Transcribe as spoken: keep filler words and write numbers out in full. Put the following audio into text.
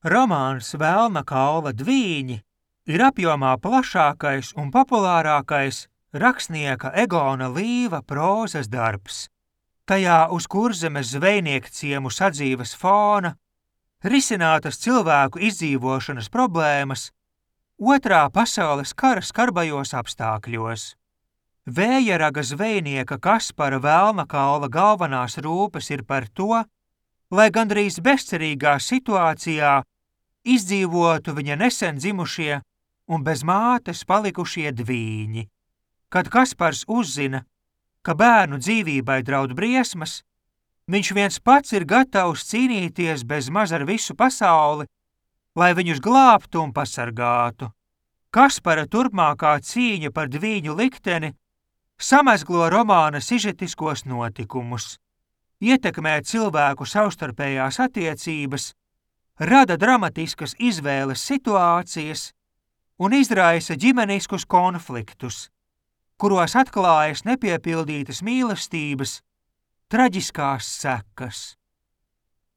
Romāns Velna Kalva Dvīņi ir apjomā plašākais un populārākais rakstnieka Egona Līva prózas darbs. Tajā uz Kurzemes zvejnieku ciemu sadzīves fona risinātas cilvēku izdzīvošanas problēmas Otrā pasaules kara skarbajos apstākļos. Vējaraga zvejnieka Kaspara Velnakalva galvenās rūpes ir par to, lai gandrīz bezcerīgā situācijā izdzīvotu viņa nesen dzimušie un bez mātes palikušie dvīņi. Kad Kaspars uzzina, ka bērnu dzīvībai draud briesmas, viņš viens pats ir gatavs cīnīties bez maz ar visu pasauli, lai viņus glābtu un pasargātu. Kaspara turpmākā cīņa par dvīņu likteni samezglo romāna sižetiskos notikumus, ietekmē cilvēku savstarpējās attiecības, rada dramatiskas izvēles situācijas un izraisa ģimeniskus konfliktus, kuros atklājas nepiepildītas mīlestības traģiskās sekas.